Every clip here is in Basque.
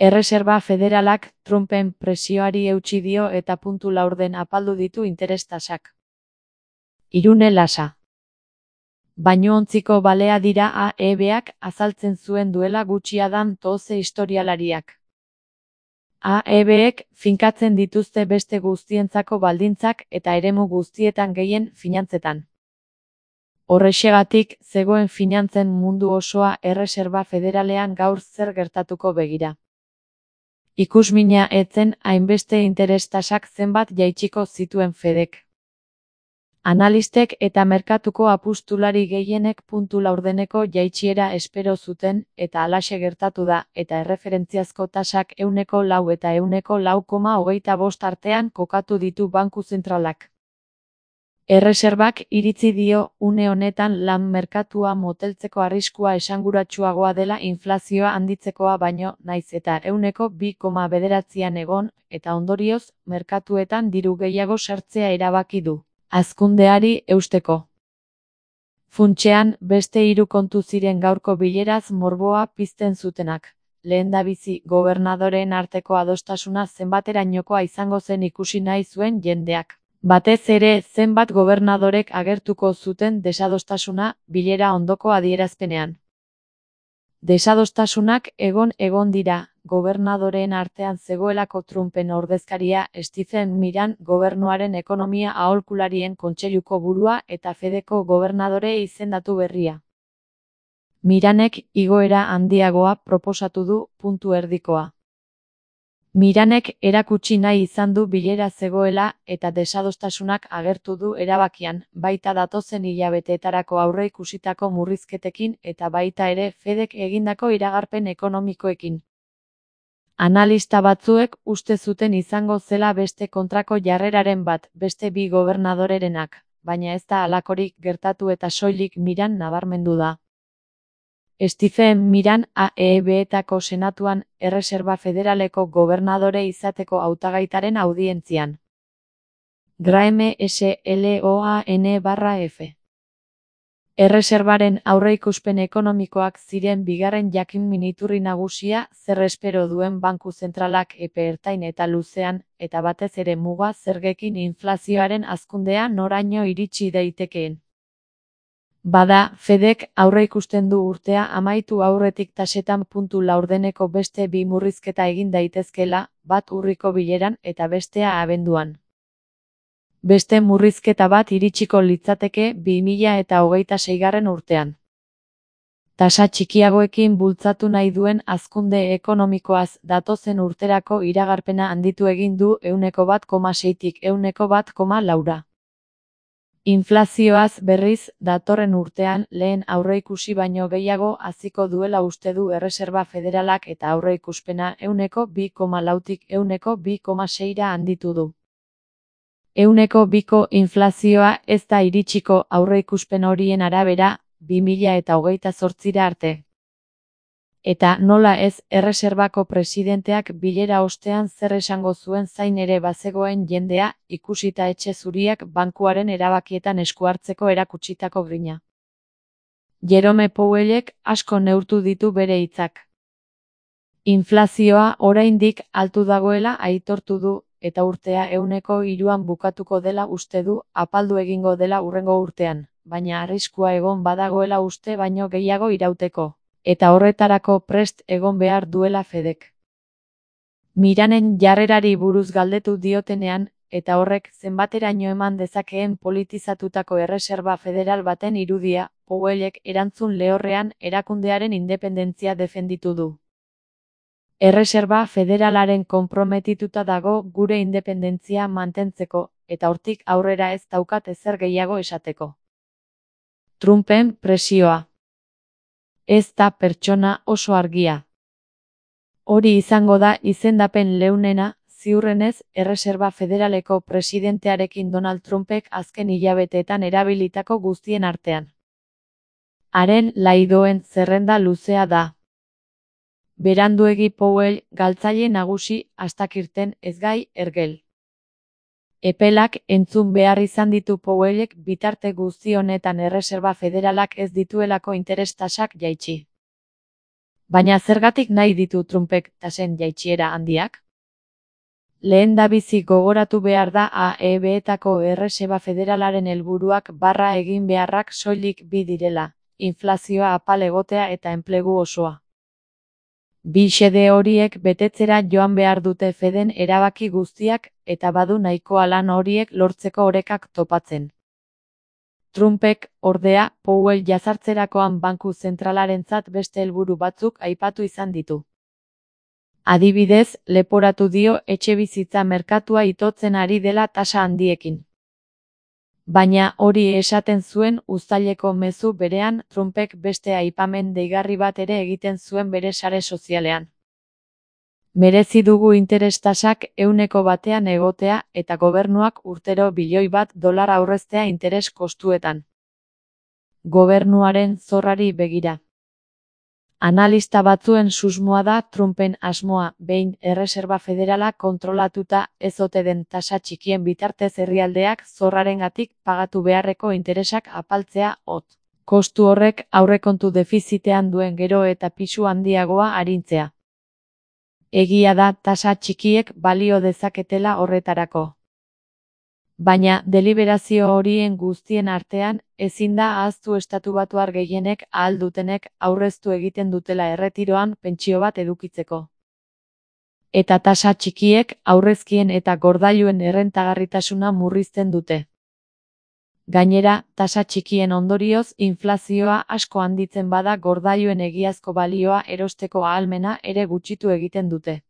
Erreserba Federalak Trumpen presioari eutsi dio eta puntu laurden apaldu ditu interes tasak. Irune Lasa. Bainuontziko balea dira AEBak azaltzen zuen duela gutxiadan toze historialariak. AEBek finkatzen dituzte beste guztientzako baldintzak eta eremu guztietan gehien finantzetan. Horrexegatik, zegoen finantzen mundu osoa Erreserba Federalean gaur zer gertatuko begira. Ikusmina etzen hainbeste interes tasak zenbat jaitsiko zituen Fedek. Analistek eta merkatuko apustulari gehienek puntu laurdeneko jaitsiera espero zuten eta halaxe gertatu da eta erreferentziazko tasak 4 eta 4,25 artean kokatu ditu banku zentralak. Erreserbak iritzi dio une honetan lan merkatua moteltzeko arriskua esanguratsuagoa dela inflazioa handitzekoa baino naiz eta 2,9an egon eta ondorioz merkatuetan diru gehiago sartzea erabaki du. Hazkundeari eusteko. Funtsean, beste 3 kontu ziren gaurko bileraz morboa pizten zutenak. Lehendabizi, gobernadoreen arteko adostasuna zenbaterainokoa izango zen ikusi nahi zuen jendeak. Batez ere, zenbat gobernadorek agertuko zuten desadostasuna bilera ondoko adierazpenean. Desadostasunak egon dira, gobernadoreen artean zegoelako Trumpen ordezkaria Stephen Miran gobernuaren ekonomia aholkularien kontseiluko burua eta Fedeko gobernadore izendatu berria. Miranek igoera handiagoa proposatu du puntu erdikoa. Miranek erakutsi nahi izan du bilera zegoela eta desadostasunak agertu du erabakian, baita datozen hilabeteetarako aurreikusitako murrizketekin eta baita ere Fedek egindako iragarpen ekonomikoekin. Analista batzuek uste zuten izango zela beste kontrako jarreraren bat beste 2 gobernadorerenak, baina ez da halakorik gertatu eta soilik Miran nabarmendu da. Stephen Miran AEBetako senatuan Erreserba Federaleko gobernadore izateko hautagaitaren audientzian. Graham Sloan/F. Erreserbaren aurreikuspen ekonomikoak ziren bigarren jakin-min iturri nagusia zer espero duen banku zentralak epe ertain eta luzean, eta batez ere muga zergekin inflazioaren hazkundea noraino iritsi daitekeen. Bada, Fedek aurreikusten du urtea amaitu aurretik tasetan puntu laurdeneko beste 2 murrizketa egin daitezkeela, bat urriko bileran eta bestea abenduan. Beste murrizketa bat iritsiko litzateke 2026 urtean. Tasa txikiagoekin bultzatu nahi duen hazkunde ekonomikoaz datozen urterako iragarpena handitu egin du 1,6tik 1,4ra. Inflazioaz berriz, datorren urtean lehen aurreikusi baino gehiago haziko duela uste du Erreserba Federalak eta aurreikuspena 2,4tik 2,6ra handitu du. 2ko inflazioa ez da iritsiko aurreikuspen horien arabera 2028ra arte. Eta nola ez, Erreserbako presidenteak bilera ostean zer esango zuen zain ere bazegoen jendea, ikusita etxe zuriak bankuaren erabakietan esku hartzeko erakutsitako grina. Jerome Powellek asko neurtu ditu bere hitzak. Inflazioa oraindik altu dagoela aitortu du, eta urtea 3an bukatuko dela uste du, apaldu egingo dela hurrengo urtean, baina arriskua egon badagoela uste baino gehiago irauteko. Eta horretarako prest egon behar duela Fedek. Miranen jarrerari buruz galdetu diotenean, eta horrek zenbateraino eman dezakeen politizatutako Erreserba Federal baten irudia, Powellek erantzun lehorrean erakundearen independentzia defenditu du. Erreserba Federalaren konprometituta dago gure independentzia mantentzeko, eta hortik aurrera ez daukat ezer gehiago esateko. Trumpen presioa. Ez da pertsona oso argia. Hori izango da izendapen leunena, ziurrenez, Erreserba Federaleko presidentearekin Donald Trumpek azken hilabeteetan erabilitako guztien artean. Haren laidoen zerrenda luzea da. Beranduegi Powell, galtzaile nagusi, astakirten ez gai ergel. Epelak entzun behar izan ditu Powellek bitarte guzti honetan Erreserba Federalak ez dituelako interes tasak jaitsi. Baina zergatik nahi ditu Trumpek tasen jaitsiera handiak? Lehendabizi gogoratu behar da AEB-etako Erreserba Federalaren helburuak barra egin beharrak soilik bi direla, inflazioa apal egotea eta enplegu osoa. Bi xede horiek betetzera joan behar dute Feden erabaki guztiak eta badu nahikoa lan horiek lortzeko orekak topatzen. Trumpek, ordea, Powell jazartzerakoan banku zentralarentzat beste helburu batzuk aipatu izan ditu. Adibidez, leporatu dio etxebizitza merkatua itotzen ari dela tasa handiekin. Baina hori esaten zuen uztaileko mezu berean Trumpek beste aipamen deigarri bat ere egiten zuen bere sare sozialean. Merezi dugu interes tasak 100% egotea eta gobernuak urtero $1 bilioi aurreztea interes kostuetan. Gobernuaren zorrari begira. Analista batzuen susmoa da Trumpen asmoa, behin Erreserba Federala kontrolatuta ez ote den tasa txikien bitartez herrialdeak zorrarengatik pagatu beharreko interesak apaltzea hot. Kostu horrek aurrekontu defizitean duen gero eta pisu handiagoa arintzea. Egia da tasa txikiek balio dezaketela horretarako. Baina deliberazio horien guztien artean, ezin da ahaztu estatubatuar gehienek ahal dutenek aurreztu egiten dutela erretiroan pentsio bat edukitzeko. Eta tasa txikiek aurrezkien eta gordailuen errentagarritasuna murrizten dute. Gainera, tasa txikien ondorioz inflazioa asko handitzen bada gordailuen egiazko balioa erosteko ahalmena ere gutxitu egiten dute.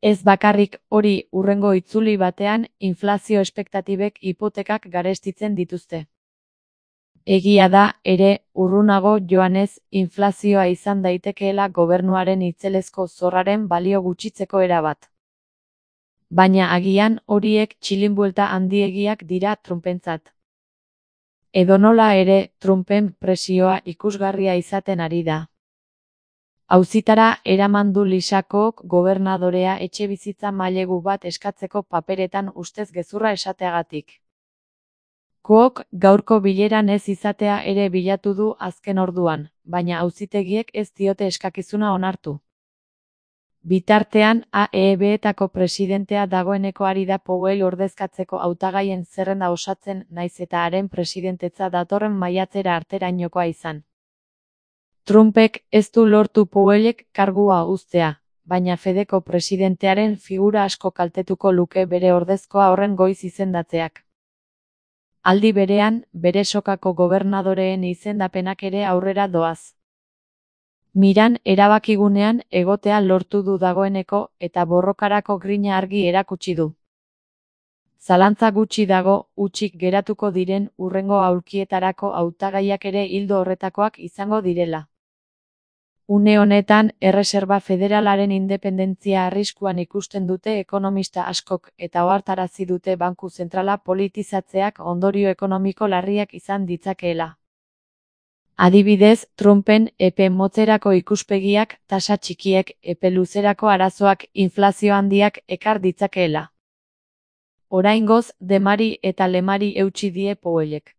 Ez bakarrik hori hurrengo itzuli batean inflazio espektatibek hipotekak garestitzen dituzte. Egia da, ere, urrunago joanez, inflazioa izan daitekeela gobernuaren itzelezko zorraren balio gutxitzeko erabat. Baina agian horiek txilinbuelta handiegiak dira Trumpentzat. Edonola ere, Trumpen presioa ikusgarria izaten ari da. Auzitara eraman du Lisa Cook gobernadorea etxebizitza mailegu bat eskatzeko paperetan ustez gezurra esateagatik. Cook gaurko bileran ez izatea ere bilatu du azken orduan, baina auzitegiek ez diote eskakizuna onartu. Bitartean, AEB-etako presidentea dagoeneko ari da Powell ordezkatzeko hautagaien zerrenda osatzen naiz eta haren presidentetza datorren maiatzera arterainokoa izan. Trumpek ez du lortu Powellek kargua uztea, baina Fedeko presidentearen figura asko kaltetuko luke bere ordezkoa horren goiz izendatzeak. Aldi berean, bere sokako gobernadoreen izendapenak ere aurrera doaz. Miran erabakigunean egotea lortu du dagoeneko eta borrokarako grina argi erakutsi du. Zalantza gutxi dago, hutsik geratuko diren hurrengo aulkietarako hautagaiak ere ildo horretakoak izango direla. Une honetan, Erreserba Federalaren independentzia arriskuan ikusten dute ekonomista askok eta ohartarazi dute banku zentrala politizatzeak ondorio ekonomiko larriak izan ditzakeela. Adibidez, Trumpen epe motzerako ikuspegiak, tasa txikiek, epe luzerako arazoak, inflazio handiak ekar ditzakeela. Oraingoz, demari eta lemari eutsi die Powellek.